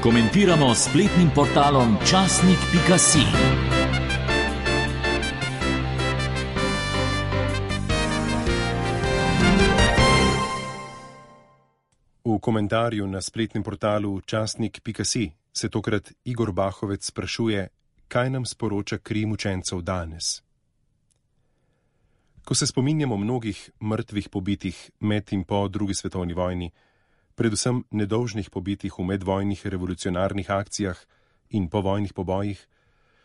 Komentiramo s spletnim portalom časnik.si. V komentarju na spletnem portalu časnik.si se tokrat Igor Bahovec sprašuje, kaj nam sporoča kri mučencev danes. Ko se spominjamo mnogih mrtvih pobitih med in po drugi svetovni vojni, predvsem nedolžnih pobitih v medvojnih revolucionarnih akcijah in povojnih pobojih,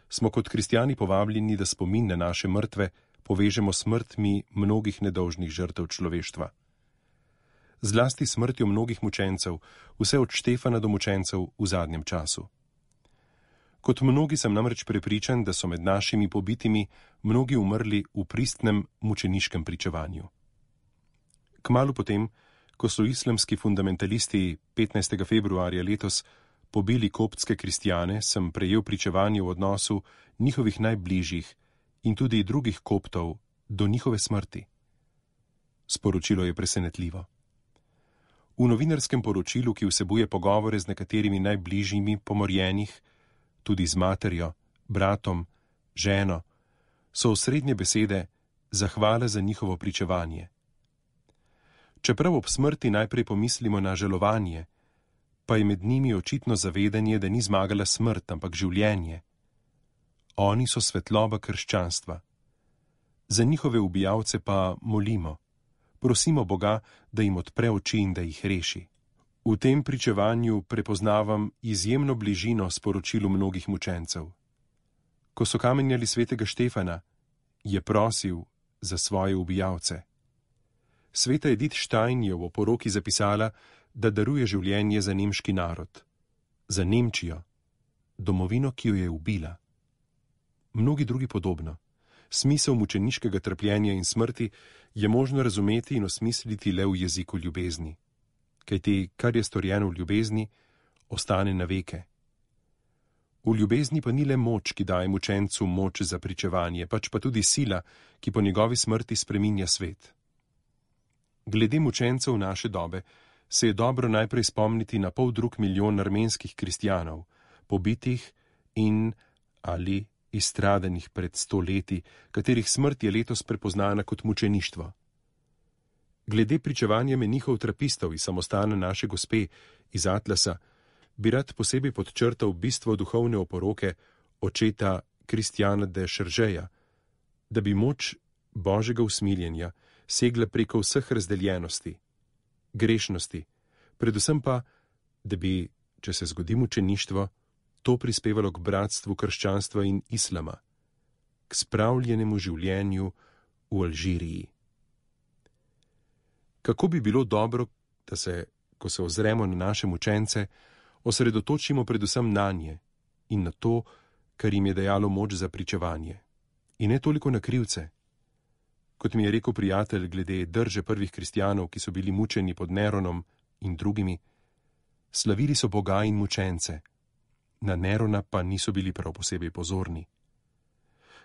smo kot kristjani povabljeni, da spomin na naše mrtve povežemo s smrtmi mnogih nedolžnih žrtev človeštva. Zlasti smrtjo mnogih mučencev, vse od Štefana do mučencev v zadnjem času. Kot mnogi sem namreč prepričan, da so med našimi pobitimi mnogi umrli v pristnem mučeniškem pričevanju. Kmalu potem, ko so islamski fundamentalisti 15. februarja letos pobili koptske kristjane, sem prejel pričevanje v odnosu njihovih najbližjih in tudi drugih koptov do njihove smrti. Sporočilo je presenetljivo. V novinarskem poročilu, ki vsebuje pogovore z nekaterimi najbližjimi pomorjenih, tudi z materjo, bratom, ženo, so osrednje besede zahvale za njihovo pričevanje. Čeprav ob smrti najprej pomislimo na žalovanje, pa je med njimi očitno zavedanje, da ni zmagala smrt, ampak življenje. Oni so svetloba krščanstva. Za njihove ubijalce pa molimo. Prosimo Boga, da jim odpre oči in da jih reši. V tem pričevanju prepoznavam izjemno bližino sporočilu mnogih mučencev. Ko so kamenjali svetega Štefana, je prosil za svoje ubijalce. Sveta Edith Stein je v oporoki zapisala, da daruje življenje za nemški narod, za Nemčijo, domovino, ki jo je ubila. Mnogi drugi podobno. Smisel mučeniškega trpljenja in smrti je možno razumeti in osmisliti le v jeziku ljubezni. Kajti, kar je storjeno v ljubezni, ostane na veke. V ljubezni pa ni le moč, ki daje mučencu moč za pričevanje, pač pa tudi sila, ki po njegovi smrti spreminja svet. Glede mučencev naše dobe se je dobro najprej spomniti na 500 000 armenskih kristjanov, pobitih in ali izstradanih pred 100 leti, katerih smrt je letos prepoznana kot mučeništvo. Glede pričevanja menihov trapistov iz samostana Naše Gospe iz Atlasa bi rad posebej podčrtal bistvo duhovne oporoke očeta Kristjana de Šeržeja, da bi moč Božjega usmiljenja segla preko vseh razdeljenosti, grešnosti, predvsem pa, da bi, če se zgodi mučeništvo, to prispevalo k bratstvu krščanstva in islama, k spravljenemu življenju v Alžiriji. Kako bi bilo dobro, da se, ko se ozremo na naše mučence, osredotočimo predvsem nanje in na to, kar jim je dajalo moč za pričevanje, in ne toliko na krivce. Kot mi je rekel prijatelj glede drže prvih kristjanov, ki so bili mučeni pod Neronom in drugimi, slavili so Boga in mučence, na Nerona pa niso bili prav posebej pozorni.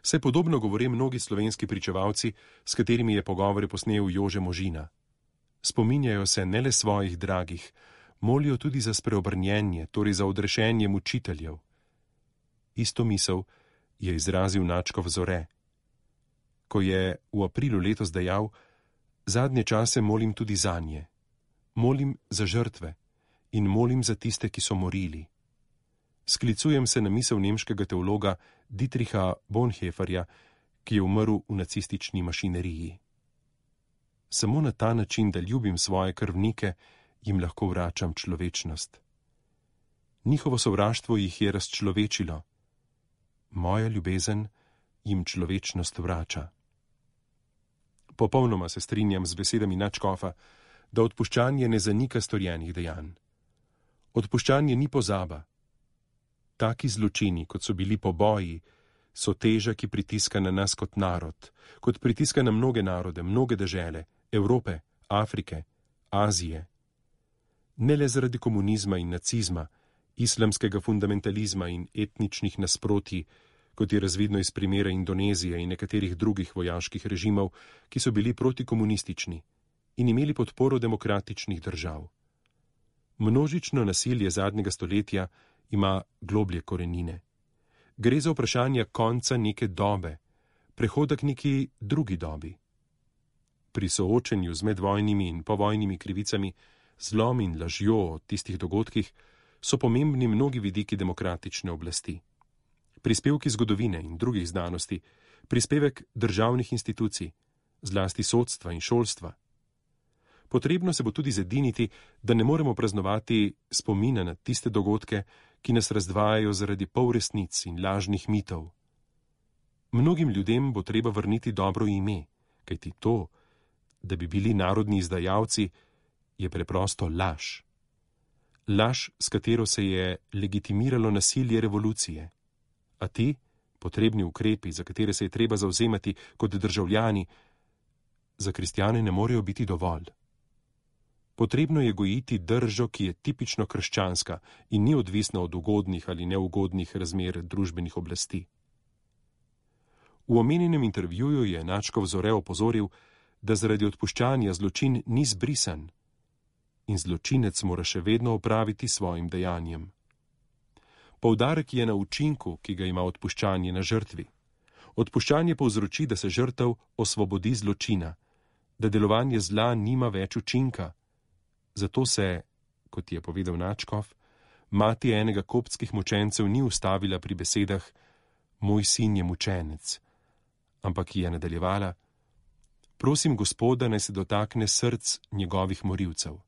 Saj podobno govore mnogi slovenski pričevalci, s katerimi je pogovore posnel Jože Možina. Spominjajo se ne le svojih dragih, molijo tudi za spreobrnjenje, torej za odrešenje mučiteljev. Isto misel je izrazil Načkov Zore, ko je v aprilu letos dejal: zadnje čase molim tudi zanje, molim za žrtve in molim za tiste, ki so morili. Sklicujem se na misel nemškega teologa Dietricha Bonhoefferja, ki je umrl v nacistični mašineriji. Samo na ta način, da ljubim svoje krvnike, jim lahko vračam človečnost. Njihovo sovraštvo jih je razčlovečilo. Moja ljubezen jim človečnost vrača. Popolnoma se strinjam z besedami nadškofa, da odpuščanje ne zanika storjenih dejanj. Odpuščanje ni pozaba. Taki zločini, kot so bili poboji, so teža, ki pritiska na nas kot narod, kot pritiska na mnoge narode, mnoge dežele, Evrope, Afrike, Azije. Ne le zaradi komunizma in nacizma, islamskega fundamentalizma in etničnih nasprotij, kot je razvidno iz primera Indonezije in nekaterih drugih vojaških režimov, ki so bili protikomunistični in imeli podporo demokratičnih držav. Množično nasilje zadnjega stoletja ima globlje korenine. Gre za vprašanje konca neke dobe, prehoda k neki drugi dobi. Pri soočenju z medvojnimi in povojnimi krivicami, zlom in lažjo o tistih dogodkih so pomembni mnogi vidiki demokratične oblasti. Prispevki zgodovine in drugih znanosti, prispevek državnih institucij, zlasti sodstva in šolstva. Potrebno se bo tudi zediniti, da ne moremo praznovati spomina na tiste dogodke, ki nas razdvajajo zaradi polresnic in lažnih mitov. Mnogim ljudem bo treba vrniti dobro ime, kajti to, da bi bili narodni izdajalci, je preprosto laž. Laž, s katero se je legitimiralo nasilje revolucije. A ti, potrebni ukrepi, za katere se je treba zavzemati kot državljani, za kristjane ne morejo biti dovolj. Potrebno je gojiti držo, ki je tipično krščanska in ni odvisna od ugodnih ali neugodnih razmer družbenih oblasti. V omenjenem intervjuju je Načkov Zore opozoril, da zaradi odpuščanja zločin ni zbrisan in zločinec mora še vedno opraviti svojim dejanjem. Poudarek je na učinku, ki ga ima odpuščanje na žrtvi. Odpuščanje povzroči, da se žrtev osvobodi zločina, da delovanje zla nima več učinka. Zato se, kot je povedal Načkov, mati enega koptskih mučencev ni ustavila pri besedah "moj sin je mučenec", ampak je nadaljevala: "Prosim Gospoda, naj se dotakne src njegovih morilcev."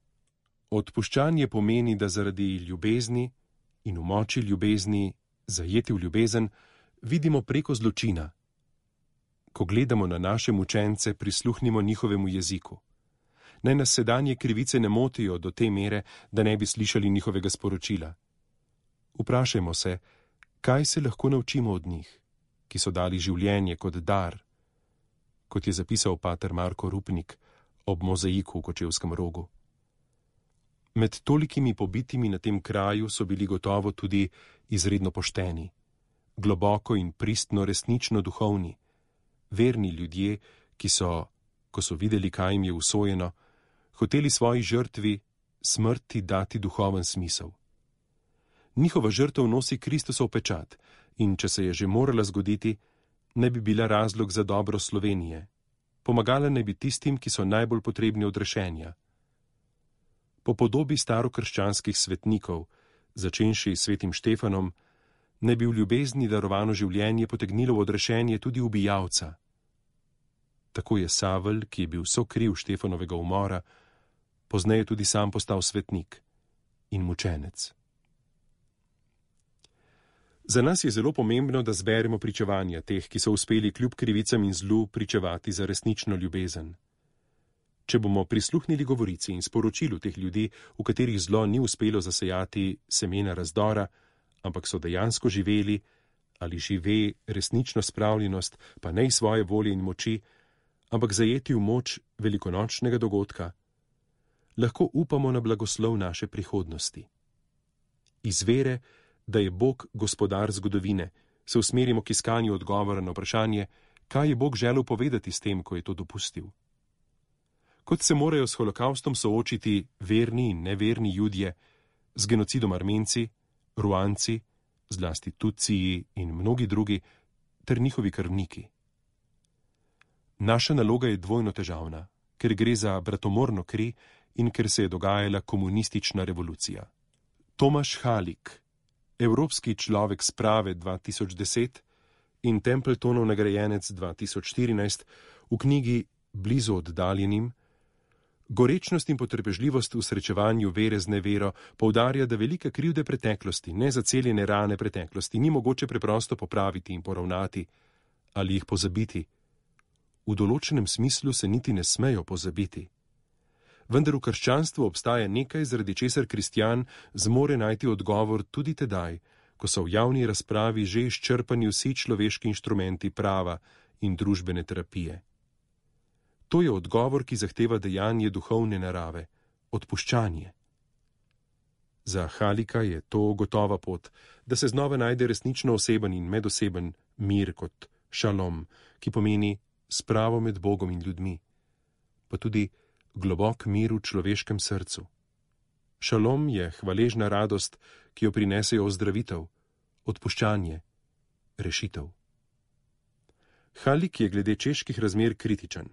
Odpuščanje pomeni, da zaradi ljubezni in v moči ljubezni, zajeti v ljubezen, vidimo preko zločina. Ko gledamo na naše mučence, prisluhnimo njihovemu jeziku. Naj nas sedanje krivice ne motijo do te mere, da ne bi slišali njihovega sporočila. Vprašajmo se, kaj se lahko naučimo od njih, ki so dali življenje kot dar, kot je zapisal pater Marko Rupnik ob mozaiku v Kočevskem Rogu. Med tolikimi pobitimi na tem kraju so bili gotovo tudi izredno pošteni, globoko in pristno resnično duhovni, verni ljudje, ki so, ko so videli, kaj jim je usojeno, hoteli svoji žrtvi, smrti, dati duhoven smisel. Njihova žrtev nosi Kristusov pečat in če se je že morala zgoditi, ne bi bila razlog za dobro Slovenije. Pomagala naj bi tistim, ki so najbolj potrebni odrešenja. Po podobi starokrščanskih svetnikov, začenši s svetim Štefanom, naj bi v ljubezni darovano življenje potegnilo v odrešenje tudi ubijalca. Tako je Savel, ki je bil sokriv Štefanovega umora, pozneje tudi sam postal svetnik in mučenec. Za nas je zelo pomembno, da zberemo pričevanja teh, ki so uspeli kljub krivicam in zlu pričevati za resnično ljubezen. Če bomo prisluhnili govorici in sporočilu teh ljudi, v katerih zlo ni uspelo zasejati semena razdora, ampak so dejansko živeli ali žive resnično spravljenost, pa ne iz svoje volje in moči, ampak zajeti v moč velikonočnega dogodka, lahko upamo na blagoslov naše prihodnosti. Iz vere, da je Bog gospodar zgodovine, se usmerimo k iskanju odgovora na vprašanje, kaj je Bog želel povedati s tem, ko je to dopustil. Kot se morajo s holokaustom soočiti verni in neverni Judje, z genocidom Armenci, Ruanci, zlasti Tutsiji in mnogi drugi, ter njihovi krvniki. Naša naloga je dvojno težavna, ker gre za bratomorno kri in ker se je dogajala komunistična revolucija. Tomaš Halik, Evropski človek sprave 2010 in Templetonov nagrajenec 2014, v knjigi Blizu oddaljenim, gorečnost in potrpežljivost v srečevanju vere z nevero poudarja, da velike krivde preteklosti, nezaceljene rane preteklosti, ni mogoče preprosto popraviti in poravnati ali jih pozabiti. V določenem smislu se niti ne smejo pozabiti. Vendar v krščanstvu obstaja nekaj, zaradi česar kristjan zmore najti odgovor tudi tedaj, ko so v javni razpravi že izčrpani vsi človeški inštrumenti prava in družbene terapije. To je odgovor, ki zahteva dejanje duhovne narave, odpuščanje. Za Halika je to gotova pot, da se znova najde resnično oseben in medoseben mir kot šalom, ki pomeni spravo med Bogom in ljudmi, pa tudi globok mir v človeškem srcu. Šalom je hvaležna radost, ki jo prinesejo ozdravitev, odpuščanje, rešitev. Halik je glede čeških razmer kritičen.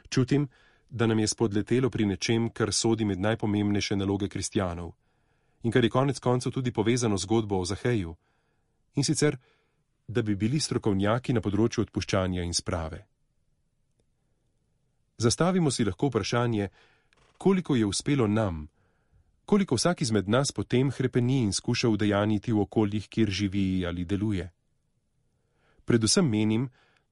Čutim, da nam je spodletelo pri nečem, kar sodi med najpomembnejše naloge kristjanov in kar je konec koncev tudi povezano z zgodbo o Zaheju, in sicer, da bi bili strokovnjaki na področju odpuščanja in sprave. Zastavimo si lahko vprašanje, koliko je uspelo nam, koliko vsak izmed nas potem hrepeni in skuša udejaniti v okoljih, kjer živi ali deluje. Predvsem menim,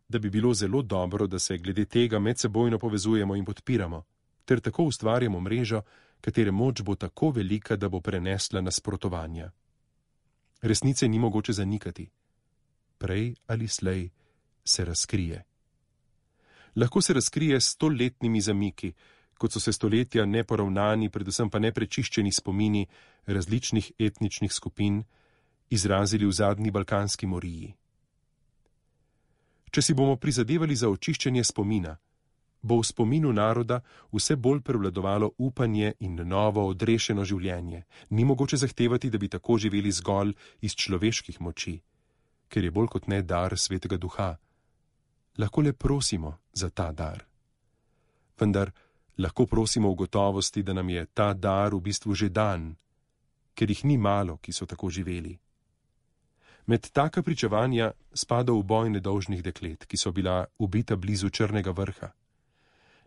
da bi bilo zelo dobro, da se glede tega medsebojno povezujemo in podpiramo, ter tako ustvarjamo mrežo, katere moč bo tako velika, da bo prenesla nasprotovanja. Resnice ni mogoče zanikati. Prej ali slej se razkrije. Lahko se razkrije s 100-letnimi zamiki, kot so se stoletja neporavnani, predvsem pa neprečiščeni spomini različnih etničnih skupin izrazili v zadnji balkanski moriji. Če si bomo prizadevali za očiščenje spomina, bo v spominu naroda vse bolj prevladovalo upanje in novo odrešeno življenje. Ni mogoče zahtevati, da bi tako živeli zgolj iz človeških moči, ker je bolj kot ne dar Svetega Duha. Lahko le prosimo za ta dar. Vendar lahko prosimo v gotovosti, da nam je ta dar v bistvu že dan, ker jih ni malo, ki so tako živeli. Med taka pričevanja spada v boj nedolžnih deklet, ki so bila ubita blizu Črnega vrha.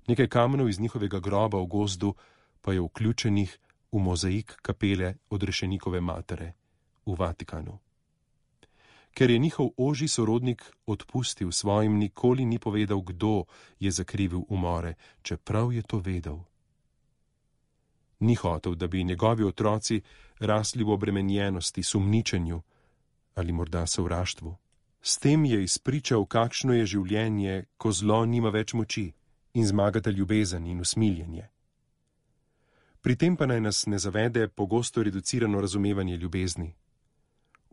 Nekaj kamenov iz njihovega groba v gozdu pa je vključenih v mozaik kapele Odrešenikove matere v Vatikanu. Ker je njihov ožji sorodnik odpustil svojim, nikoli ni povedal, kdo je zakrivil umore, čeprav je to vedel. Ni hotel, da bi njegovi otroci rasli v obremenjenosti, sumničenju ali morda sovraštvu. S tem je izpričal, kakšno je življenje, ko zlo nima več moči in zmagata ljubezen in usmiljenje. Pri tem pa naj nas ne zavede pogosto reducirano razumevanje ljubezni.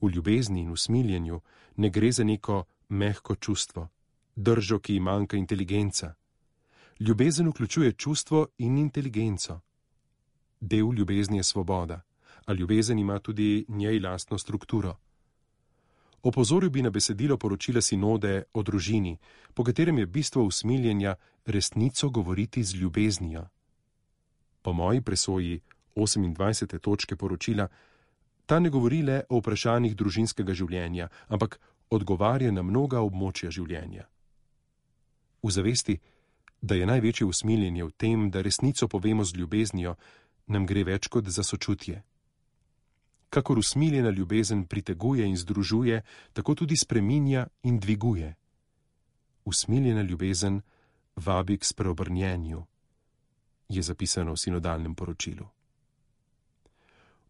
V ljubezni in usmiljenju ne gre za neko mehko čustvo, držo, ki ji manjka inteligenca. Ljubezen vključuje čustvo in inteligenco. Del ljubezni je svoboda, a ljubezen ima tudi njej lastno strukturo. Opozoril bi na besedilo poročila sinode o družini, po katerem je bistvo usmiljenja resnico govoriti z ljubeznijo. Po moji presoji 28. točke poročila ta ne govori le o vprašanjih družinskega življenja, ampak odgovarja na mnoga območja življenja. V zavesti, da je največje usmiljenje v tem, da resnico povemo z ljubeznijo, nam gre več kot za sočutje. Kakor usmiljena ljubezen priteguje in združuje, tako tudi spreminja in dviguje. Usmiljena ljubezen vabi k spreobrnjenju, je zapisano v sinodalnem poročilu.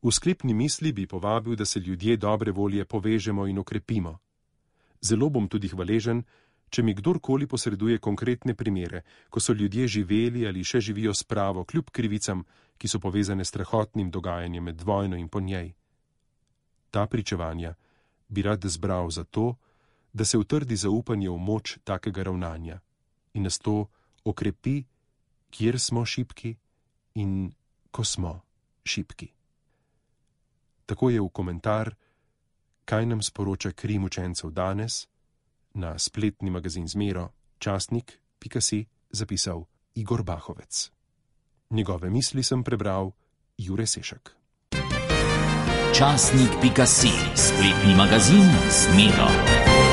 V sklepni misli bi povabil, da se ljudje dobre volje povežemo in okrepimo. Zelo bom tudi hvaležen, če mi kdorkoli posreduje konkretne primere, ko so ljudje živeli ali še živijo s pravo, kljub krivicam, ki so povezane s strahotnim dogajanjem med vojno in po njej. Ta pričevanja bi rad zbral zato, da se utrdi zaupanje v moč takega ravnanja in nas to okrepi, kjer smo šibki in ko smo šibki. Tako je v komentar, kaj nam sporoča kri mučencev danes, na spletni magazin Zmero, časnik.si, zapisal Igor Bahovec. Njegove misli sem prebral Jure Sešek. Časnik.si, spletni magazin Zmero.